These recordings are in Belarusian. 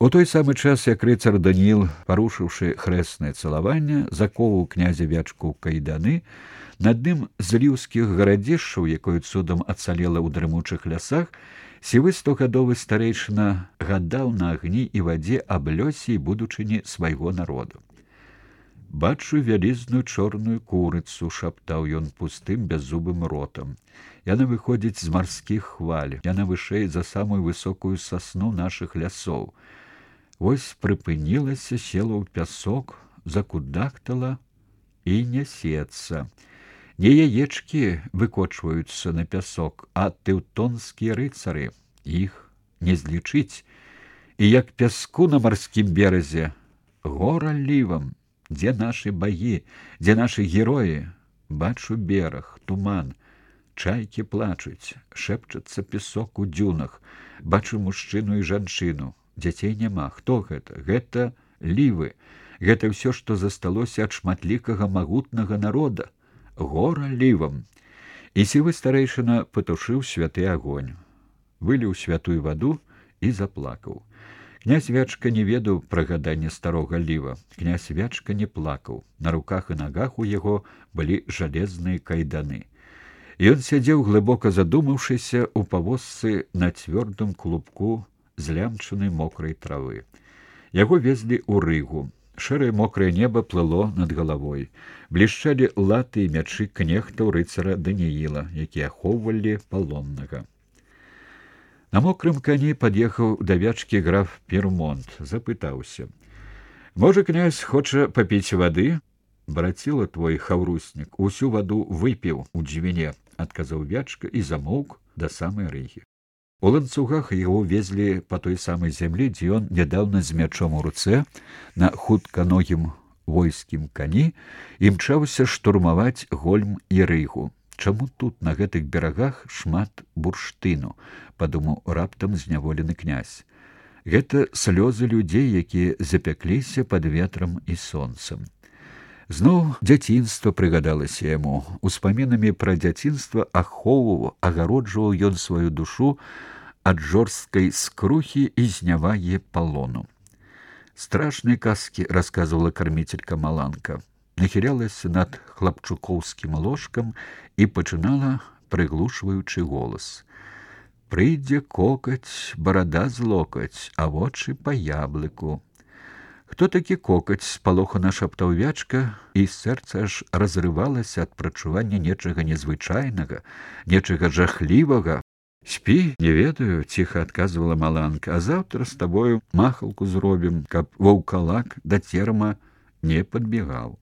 У той самы час, як рыцар Даніл, парушыўшы хрэснае цалаванне, заковаў князя Вячку ў кайданы, над ім з ліўскіх гарадзішчаў, якое цудам ацалела ў дрымучых лясах, сівы стогадовы старэйшына гадаў на агні і вадзе аб лёсе і будучыні свайго народу. «Бачу вялізную чорную курыцу», — шаптаў ён пустым бяззубым ротам. «Яна выходзіць з марскіх хваль, яна вышэй за самую высокую сасну нашых лясоў. Вось прыпынілася, села ў пясок, закудахтала і нясецца. Не яечкі выкочваюцца на пясок, а тэўтонскія рыцары. Іх не злічыць. І як пяску на марскім беразе, гора лівам. Дзе нашы багі, дзе нашы героі? Бачу бераг, туман, чайкі плачуць, шэпчацца песок у дзюнах, бачу мужчыну і жанчыну. Дзяцей няма. Хто гэта? Гэта лівы. Гэта ўсё, што засталося ад шматлікага магутнага народа. Гора лівам. І сівы старэйшына патушыў святы агонь, выліў святую ваду і заплакаў. Князь Вячка не ведаў пра гаданне старога ліва. Князь Вячка не плакаў. На руках і нагах у яго былі жалезныя кайданы. Ён сядзеў, глыбока задумаўшыся, у павозцы на цвёрдым клубку злямчанай мокрай травы. Яго везлі ў Рыгу. Шэрае мокрае неба плыло над галавой. Блішчалі латы і мячы кнехтаў рыцара Данііла, якія ахоўвалі палоннага. На мокрым кані пад'ехаў да Вячкі граф Пермонт, запытаўся: «Можа, князь хоча папіць вады?» «Браціла твой хаўруснік усю ваду выпіў у дзвіне», — адказаў Вячка і замоўк да самай Рыгі. У ланцугах яго везлі па той самай зямлі, дзе ён нядаўна з мячом у руцэ на хутканогім войскім кані імчаўся штурмаваць Гольм і Рыгу. «Чаму тут, на гэтых берагах, шмат бурштыну?» — падумаў раптам зняволены князь. «Гэта слёзы людзей, якія запякліся пад ветрам і сонцам». Зноў дзяцінства прыгадалася яму. Успамінамі пра дзяцінства ахоўваў, агароджваў ён сваю душу ад жорсткай скрухі і знявагі палону. Страшныя казкі расказвала карміцелька Маланка. Нахілялася над хлапчукоўскім ложкам і пачынала прыглушваючы голас: «Прыйдзе кокаць, барада з локаць, а вочы па яблыку». «Хто такі кокаць?» — спалохана шаптаў Вячка, і сэрца аж разрывалася ад прачування нечага незвычайнага, нечага жахлівага. «Спі, не ведаю», — ціха адказвала Маланка, «а заўтра з табою махалку зробім, каб ваўкалак да терма не падбегаў».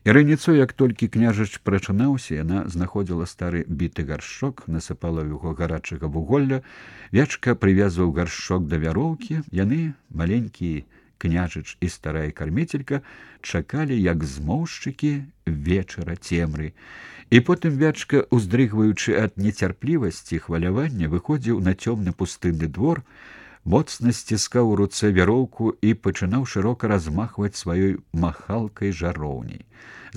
І раніцой, як толькі княжач прачынаўся, яна знаходзіла стары біты гаршчок, насыпала ў яго гарачага вуголля. Вячка прывязваў гаршчок да вяроўкі. Яны, маленькі княжач і старая карміцелька, чакалі, як змоўшчыкі вечара цемры. І потым Вячка, уздрыгваючы ад нецярплівасці і хвалявання, выходзіў на цёмны пустынны двор, моцна сціскаў у руцэ вяроўку і пачынаў шырока размахваць сваёй махалкай жароўняй.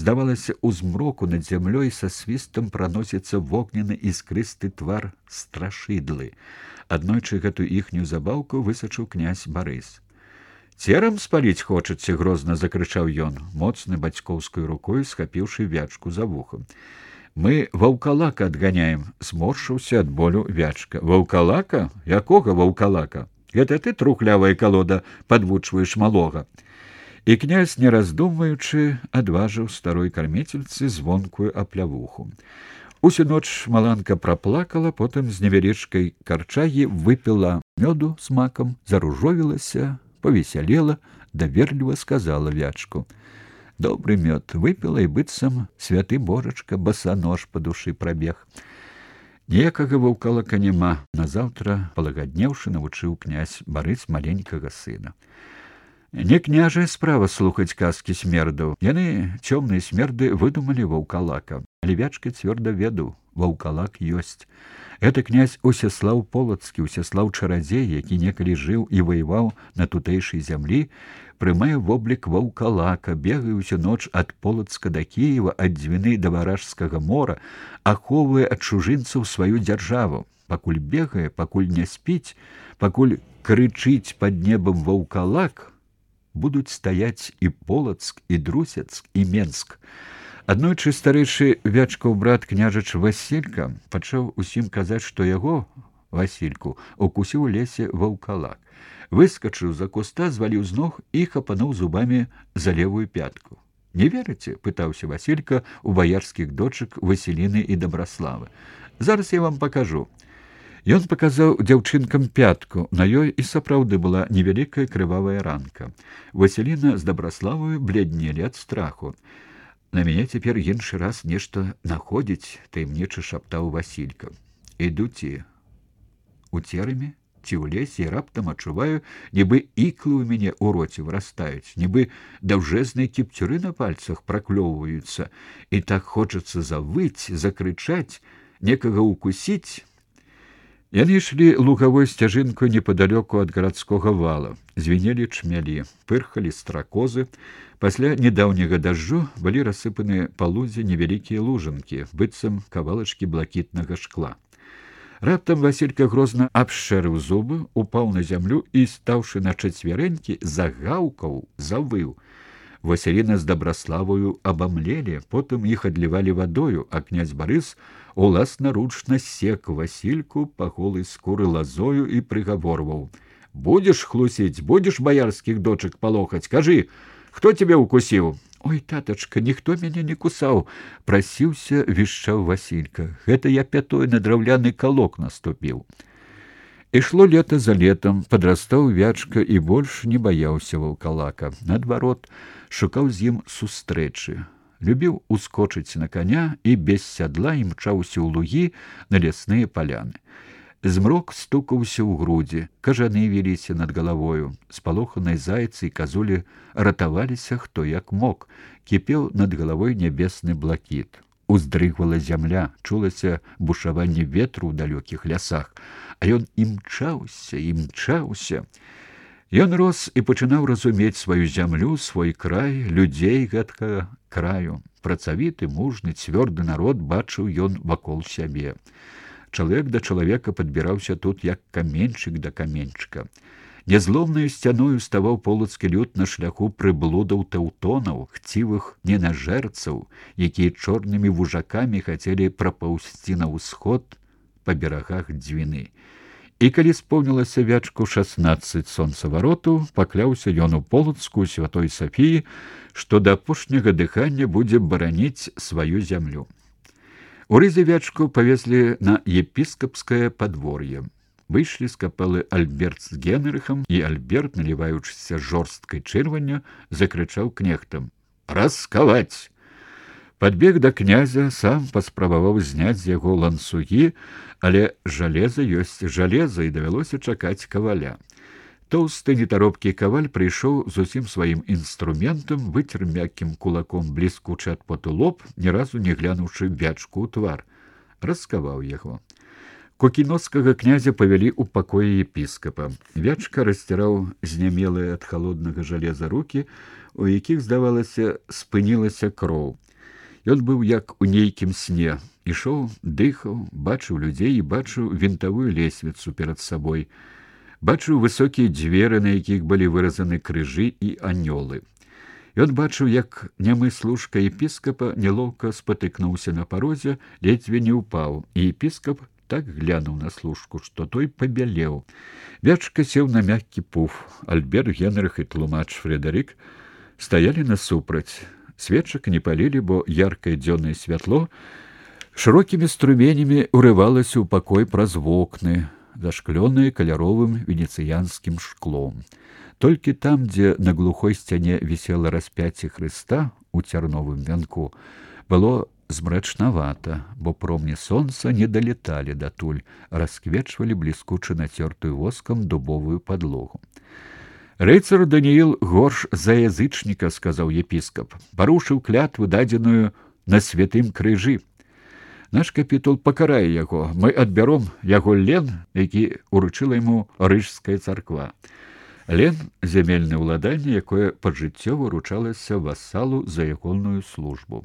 Здавалася, у змроку над зямлёй са свістам праносіцца вогненны іскрысты твар страшыдлы. Аднойчы гэтую іхнюю забаўку высачыў князь Барыс. «Церам спаліць хочаце?» — грозна закрычаў ён, моцнай бацькоўскай рукой схапіўшы Вячку за вухам. «Мы ваўкалака адганяем», — зморшыўся ад болю Вячка. «Ваўкалака? Якога ваўкалака? Гэта ты, трухлявая калода, падвучваеш малога». І князь, не раздумваючы, адважыў старой карміцельцы звонкую аплявуху. Усю ноч Маланка праплакала, потым з невялічкай карчагі выпіла мёду з макам, заружовілася, павесялела, даверліва сказала Вячку: «Добры мёд выпіла, і быццам святы божачка басанож па душы прабег». Ніякага ваўкалака няма. Назаўтра, палагаднеўшы, навучыў князь Барыс маленькага сына. Не княжая справа слухаць казкі смердаў. Яны, цёмныя смерды, выдумалі ваўкалака. Але Вячка цвёрда ведаў, ваўкалак ёсць. Гэта князь Усяслаў Полацкі, Усяслаў чарадзей, які некалі жыў і ваяваў на тутэйшай зямлі, прымае воблік ваўкалака, бегае ўсю ноч ад Полацка да Кіева, ад Двіны да Варажскага мора, ахоўвае ад чужынцаў сваю дзяржаву. Пакуль бегае, пакуль не спіць, пакуль крычыць пад небам ваўкалак, будуць стаяць і Полацк, і Друсецк, і Менск. Аднойчы старэйшы Вячкаў брат княжач Васілька пачаў усім казаць, што яго, Васільку, укусіў у лесе ваўкалак. Выскачыў за куста, зваліў з ног і хапануў зубамі за левую пятку. «Не верыце?» – пытаўся Васілька у баярскіх дочак Васіліны і Дабраславы. «Зараз я вам пакажу». Ён паказаў дзяўчынкам пятку, на ёй і сапраўды была невялікая крывавая ранка. Васіліна з Дабраславою бледнелі ад страху. «На мяне цяпер іншы раз нешта находзіць», – таямніча шаптаў Васілька. «Іду ці у церамі, ці ў лесе, і раптам адчуваю, нібы іклы ў мяне ў роце вырастаюць, нібы даўжэзныя кіпцюры на пальцах праклёўваюцца, і так хочацца завыць, закрычаць, некага укусіць». Яны ішлі лугавой сцяжынкой непадалёку ад гарадскога вала. Звінелі чмялі, пырхалі стракозы. Пасля недаўняга дажджу былі рассыпаны па лузе невялікія лужынкі, быццам кавалачкі блакітнага шкла. Раптам Васілька грозна абшчэрыў зубы, упаў на зямлю і, стаўшы на чацвярэнькі, загаўкаў, завыў. Васіліна з Дабраславою абамлелі, потым іх адлівалі вадою, а князь Барыс уласнаручна сек Васільку па голай скуры лазою і прыгаворваў: «Будзеш хлусіць, будзеш баярскіх дочак палохаць, кажы, хто цябе укусіў?» «Ой, татачка, ніхто мяне не кусаў», – прасіўся, вішчаў Васілька. «Гэта я пятой на драўляны калок наступіў». Ішло лета за летом, падрастаў Вячка і больш не баяўся ваўкалака. Наадварот, шукаў з ім сустрэчы. Любіў ускочыць на коня і без сядла імчаўся ў лугі на лясныя паляны. Змрок стукаўся ў грудзі, кажаны віліся над галавою. Спалоханыя зайцы і казулі ратаваліся хто як мог. Кіпеў над галавой нябесны блакіт. Уздрыгвала зямля, чулася бушаванне ветру ў далёкіх лясах. А ён імчаўся, імчаўся. Ён рос і пачынаў разумець сваю зямлю, свой край, людзей гэткага краю. Працавіты, мужны, цвёрды народ бачыў ён вакол сябе. Чалавек да чалавека падбіраўся тут, як каменьчык да каменьчыка. Нязломнаю сцяною ставаў полацкі люд на шляху прыблудаў тэўтонаў, хцівых ненажэрцаў, якія чорнымі вужакамі хацелі прапаўсці на ўсход па берагах Дзвіны. І калі споўнілася Вячку 16 сонцавароту, пакляўся ён у Полацку святой Сафіі, што да апошняга дыхання будзе бараніць сваю зямлю. У рызе Вячку павезлі на епіскапскае падвор'е. Выйшлі з капэлы Альберт з Генрыхам, і Альберт, наліваючыся жорсткай чырванню, закрычаў кнехтам: «Раскаваць!» Падбег да князя, сам паспрабаваў зняць з яго ланцугі, але жалеза ёсць жалеза, і давялося чакаць каваля. Тоўсты нетаропкі каваль прыйшоў з усім сваім інструментам, выцер мяккім кулаком бліскучы ад поту лоб, ні разу не глянуўшы Вячку ў твар. Раскаваў яго. Кукіноцкага князя павялі ў пакоі епіскапа. Вячка расціраў знямелыя ад халоднага жалеза рукі, у якіх, здавалася, спынілася кроў. Ён быў як у нейкім сне. Ішоў, дыхаў, бачыў людзей і бачыў вінтавую лесвіцу перад сабой. Бачыў высокія дзверы, на якіх былі выразаны крыжы і анёлы. Ён бачыў, як нямы служка епіскапа нелоўка спатыкнуўся на парозе, ледзьве не ўпаў, і епіскап так глянуў на служку, што той пабялеў. Вячка сеў на мяккі пуф. Альберт, Генрых і тлумач Фредерик стаялі насупраць. Свечак не палілі, бо яркае дзённае святло шырокімі струменямі урывалася ў пакой праз вокны, зашклёныя каляровым венецыянскім шклом. Толькі там, дзе на глухой сцяне вісела распяцце Хрыста ў цярновым вянку, было змрачнавата, бо промні сонца не далеталі датуль, расквечвалі бліскуча нацёртую воскам дубовую падлогу. «Рыцар Даніил горш за язычніка», – сказаў епіскап, – «парушыў клятву, дадзеную на святым крыжы. Наш капітул пакарае яго, мы адбяром яго лен, які уручыла яму рыжская царква». Лен – зямельнае ўладанне, якое пажыццёва уручалася васалу за ягоную службу.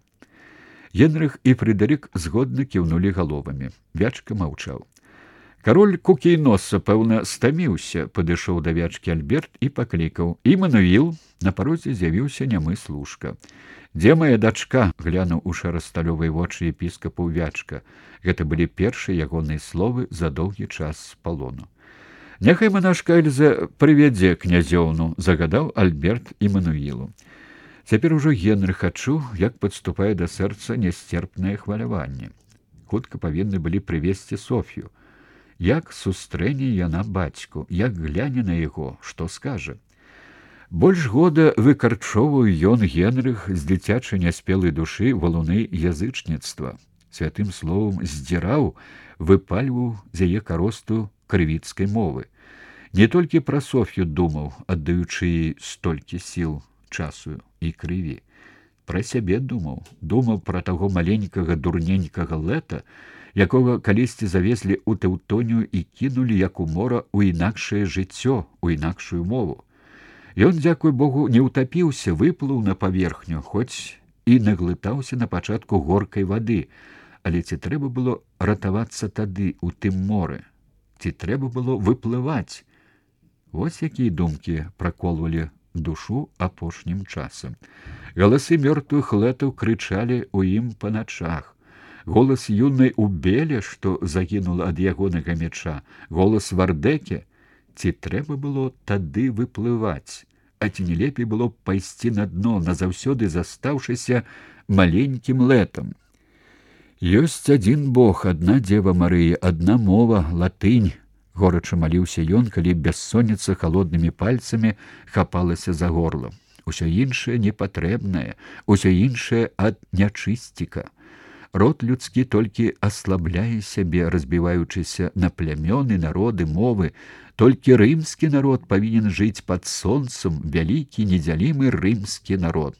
Генрых і Фредерик згодна кіўнулі галовамі. Вячка маўчаў. Кароль Кукейноса, пэўна, стаміўся, падышоў да вячкі Альберт і паклікаў: «Імануіл!» На парозе з'явіўся нямы служка. «Дзе моя дачка?» — глянуў у шарасталёвыя вочы епіскапа Вячка. Гэта былі першыя ягоныя словы за доўгі час з палону. «Няхай манашка Эльза прывядзе князёўну», — загадаў Альберт Імануілу. Цяпер ужо Генрых адчуў, як падступае да сэрца нясцерпнае хваляванне. Хутка павінны былі прывесці Соф'ю. Як сустрэне яна бацьку, як гляне на яго, што скажа. Больш года выкарчоўваў ён Генрых з дзіцячай няспелай душы валуны язычніцтва. Святым словам здзіраў, выпальваў з яе каросту крывіцкай мовы. Не толькі пра Соф'ю думаў, аддаючы ёй столькі сіл, часу і крыві. Пра сябе думаў пра таго маленькага дурненькага Лета, якога калісьці завезлі ў Тэўтонію і кінулі, як у мора, у інакшае жыццё, у інакшую мову. Ён, дзякуй Богу, не ўтапіўся, выплыў на паверхню, хоць і наглытаўся на пачатку горкай вады, але ці трэба было ратавацца тады у тым моры? Ці трэба было выплываць? Вось якія думкі праколвалі душу апошнім часам. Галасы мёртвых Летаў крычалі ў ім па начах. Голас юнай Убеле, што загінула ад ягонага меча, голас Вардэке. Ці трэба было тады выплываць? А ці не лепей было б пайсці на дно, назаўсёды застаўшыся маленькім Летам? Ёсць адзін Бог, адна Дзева Марыя, адна мова, латынь. Горача маліўся ён, калі бяссонніца халоднымі пальцамі хапалася за горла. Усё іншае непатрэбнае, усё іншае ад нячысціка. Род людскі толькі аслабляе сябе, разбіваючыся на плямёны, народы, мовы. Толькі рымскі народ павінен жыць пад сонцам, вялікі, недзялімы рымскі народ.